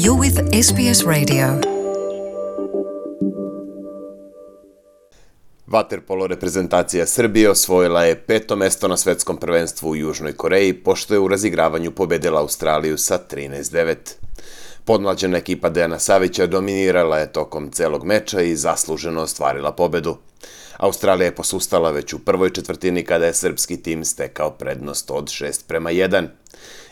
You're with SBS Radio. Vaterpolo reprezentacija Srbije osvojila je 5. mesto na svetskom prvenstvu u Južnoj Koreji, pošto je u razigravanju pobedila Australiju sa 13:9. Podmlađena ekipa Dejana Savića dominirala je tokom celog meča i zasluženo ostvarila pobedu. Australija je posustala već u prvoj četvrtini kada je srpski tim stekao prednost od 6:1.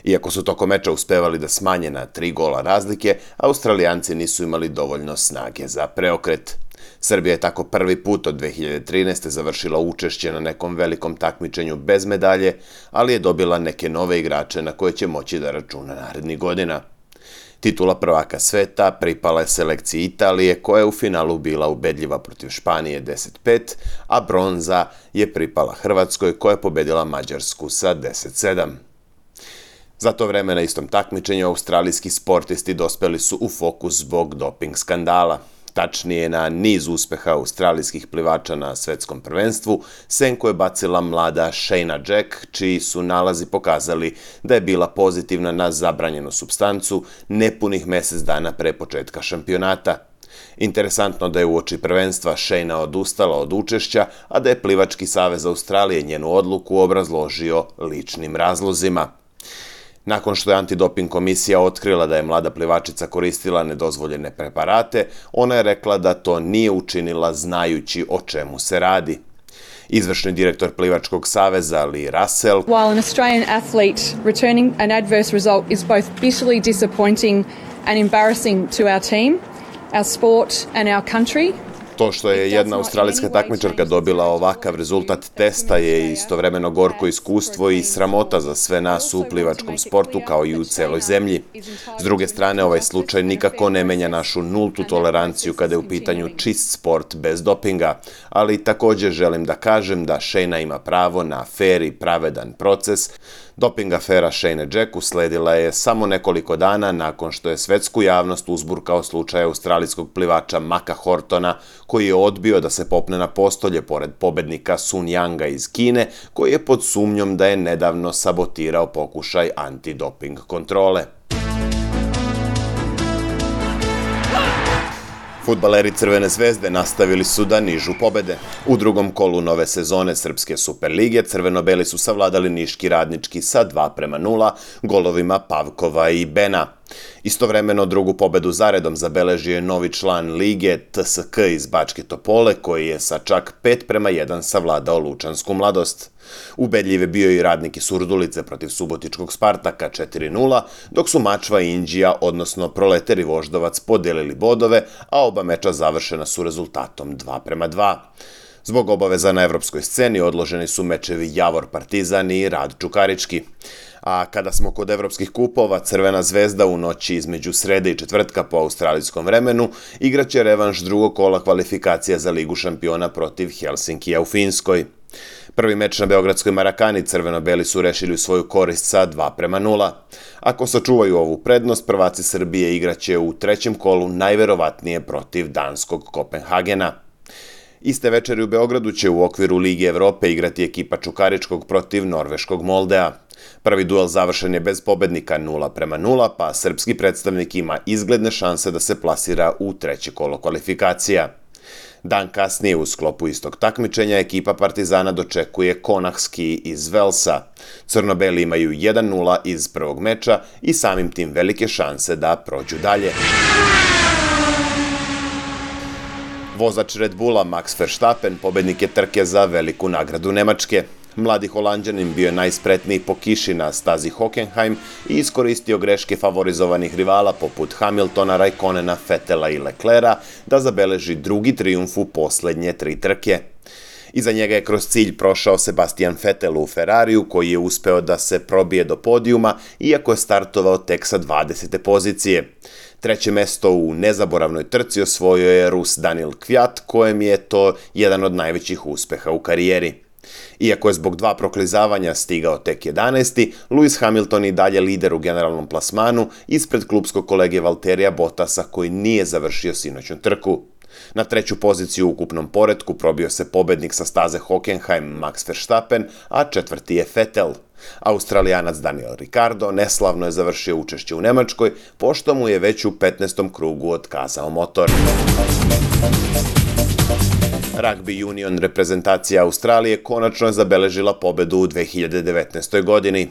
Iako su tokom meča uspevali da smanje na 3 gola razlike, Australijanci nisu imali dovoljno snage za preokret. Srbija je tako prvi put od 2013. završila učešće na nekom velikom takmičenju bez medalje, ali je dobila neke nove igrače na koje će moći da računa narednih godina. Titula prvaka sveta pripala je selekciji Italije, koja je u finalu bila ubedljiva protiv Španije 10:5, a bronza je pripala Hrvatskoj, koja je pobedila Mađarsku sa 10:7. Za to vreme na istom takmičenju australijski sportisti dospeli su u fokus zbog doping skandala. Tačnije, na niz uspeha australijskih plivača na svetskom prvenstvu, senku je bacila mlada Shayna Jack, čiji su nalazi pokazali da je bila pozitivna na zabranjenu supstancu nepunih mesec dana pre početka šampionata. Interesantno da je uoči prvenstva Shayna odustala od učešća, a da je Plivački savez Australije njenu odluku obrazložio ličnim razlozima. Nakon što je antidoping komisija otkrila da je mlada plivačica koristila nedozvoljene preparate, ona je rekla da to nije učinila znajući o čemu se radi. Izvršni direktor Plivačkog saveza Lee Russell: While an Australian athlete returning an adverse result is both bitterly disappointing and embarrassing to our team, our sport and our country. To što je jedna australijska takmičarka dobila ovakav rezultat testa je istovremeno gorko iskustvo i sramota za sve nas u plivačkom sportu kao i u celoj zemlji. S druge strane, ovaj slučaj nikako ne menja našu nultu toleranciju kada je u pitanju čist sport bez dopinga, ali također želim da kažem da Shayna ima pravo na fair i pravedan proces. Doping afera Shayne Jack usledila je samo nekoliko dana nakon što je svetsku javnost uzburkao slučaj australijskog plivača Maka Hortona, koji je odbio da se popne na postolje pored pobednika Sun Yanga iz Kine, koji je pod sumnjom da je nedavno sabotirao pokušaj antidoping kontrole. Fudbaleri Crvene zvezde nastavili su da nižu pobede. U drugom kolu nove sezone Srpske Superlige crveno-beli su savladali Niški Radnički sa 2:0 golovima Pavkova i Bena. Istovremeno drugu pobedu zaredom zabeležio je novi član lige TSK iz Bačke Topole, koji je sa čak 5:1 savladao Lučansku Mladost. Ubedljiv je bio i Radnik iz Surdulice protiv Subotičkog Spartaka 4:0, dok su Mačva i Inđija, odnosno Proleter i Voždovac, podelili bodove, a oba meča završena su rezultatom 2:2. Zbog obaveza na evropskoj sceni odloženi su mečevi Javor Partizan i Rad Čukarički. A kada smo kod evropskih kupova, Crvena zvezda u noći između srede i četvrtka po australijskom vremenu igraće revanš drugog kola kvalifikacija za Ligu šampiona protiv Helsinkija u Finskoj. Prvi meč na beogradskoj Marakani crveno-beli su rešili u svoju korist sa 2:0. Ako sačuvaju ovu prednost, prvaci Srbije igraće u trećem kolu najverovatnije protiv danskog Kopenhagena. Iste večeri u Beogradu će u okviru Lige Evrope igrati ekipa Čukaričkog protiv norveškog Moldea. Prvi duel završen je bez pobednika 0:0, pa srpski predstavnik ima izgledne šanse da se plasira u treće kolo kvalifikacija. Dan kasnije u sklopu istog takmičenja ekipa Partizana dočekuje Konahski iz Velsa. Crno-beli imaju 1:0 iz prvog meča i samim tim velike šanse da prođu dalje. Vozač Red Bulla Max Verstappen pobednik je trke za veliku nagradu Nemačke. Mladi Holanđanin bio je najspretniji po kiši na stazi Hockenheim i iskoristio greške favorizovanih rivala poput Hamiltona, Raikkonena, Vettela i Leclerca da zabeleži drugi trijumf u poslednje 3 trke. Iza njega je kroz cilj prošao Sebastian Vettel u Ferrariju, koji je uspeo da se probije do podijuma, iako je startovao tek sa 20. pozicije. Treće mesto u nezaboravnoj trci osvojio je Rus Daniel Kvyat, kojem je to jedan od najvećih uspeha u karijeri. Iako je zbog 2 proklizavanja stigao tek 11. Lewis Hamilton i dalje lider u generalnom plasmanu ispred klupskog kolege Valterija Bottasa, koji nije završio sinoćnu trku. Na treću poziciju u ukupnom poretku probio se pobednik sa staze Hockenheim Max Verstappen, a četvrti je Vettel. Australijanac Daniel Ricciardo neslavno je završio učešće u Nemačkoj, pošto mu je već u 15. krugu otkazao motor. Rugby union reprezentacija Australije konačno je zabeležila pobedu u 2019. godini.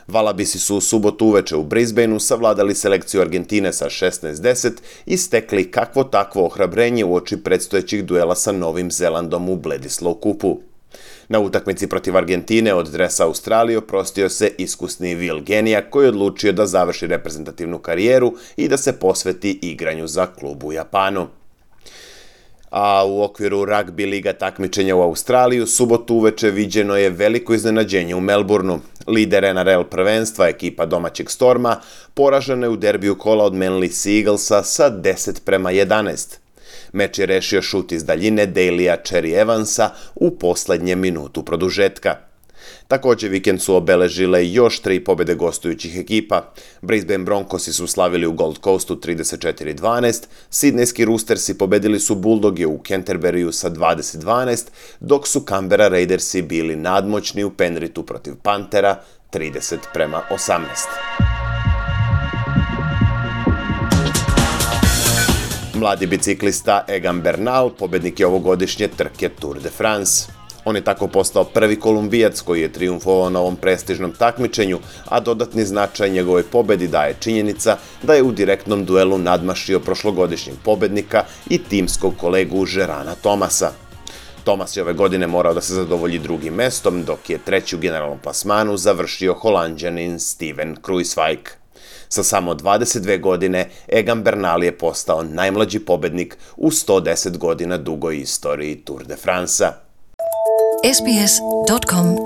Valabisi su u subotu uveče u Brisbaneu savladali selekciju Argentine sa 16-10 i stekli kakvo takvo ohrabrenje uoči predstojećih duela sa Novim Zelandom u Bledisloe kupu. Na utakmici protiv Argentine od dresa Australije oprostio se iskusni Will Genija, koji je odlučio da završi reprezentativnu karijeru i da se posveti igranju za klub u Japanu. A u okviru ragbi liga takmičenja u Australiji u subotu uveče viđeno je veliko iznenađenje u Melbourneu. Lider NRL prvenstva, ekipa domaćeg Storma, poražena je u derbiju kola od Manly Sea Eaglesa sa 10-11. Meč je rešio šut iz daljine Daleya Cherry Evansa u poslednjem minutu produžetka. Također vikend su obeležile još 3 pobjede gostujućih ekipa. Brisbane Broncosi su slavili u Gold Coastu 34-12, Sidnejski Roostersi pobedili su Bulldoge u Canterburyu sa 20-12, dok su Canberra Raidersi bili nadmoćni u Penrithu protiv Panthera 30-18. Mladi biciklista Egan Bernal pobednik je ovogodišnje trke Tour de France. On je tako postao prvi Kolumbijac koji je trijumfovao na ovom prestižnom takmičenju, a dodatni značaj njegovoj pobedi daje činjenica da je u direktnom duelu nadmašio prošlogodišnjeg pobednika i timskog kolegu Gerana Thomasa. Thomas je ove godine morao da se zadovolji drugim mestom, dok je treći u generalnom plasmanu završio Holanđanin Steven Kruijswijk. Sa samo 22 godine, Egan Bernal je postao najmlađi pobednik u 110 godina dugoj istoriji Tour de France-a. sbs.com.au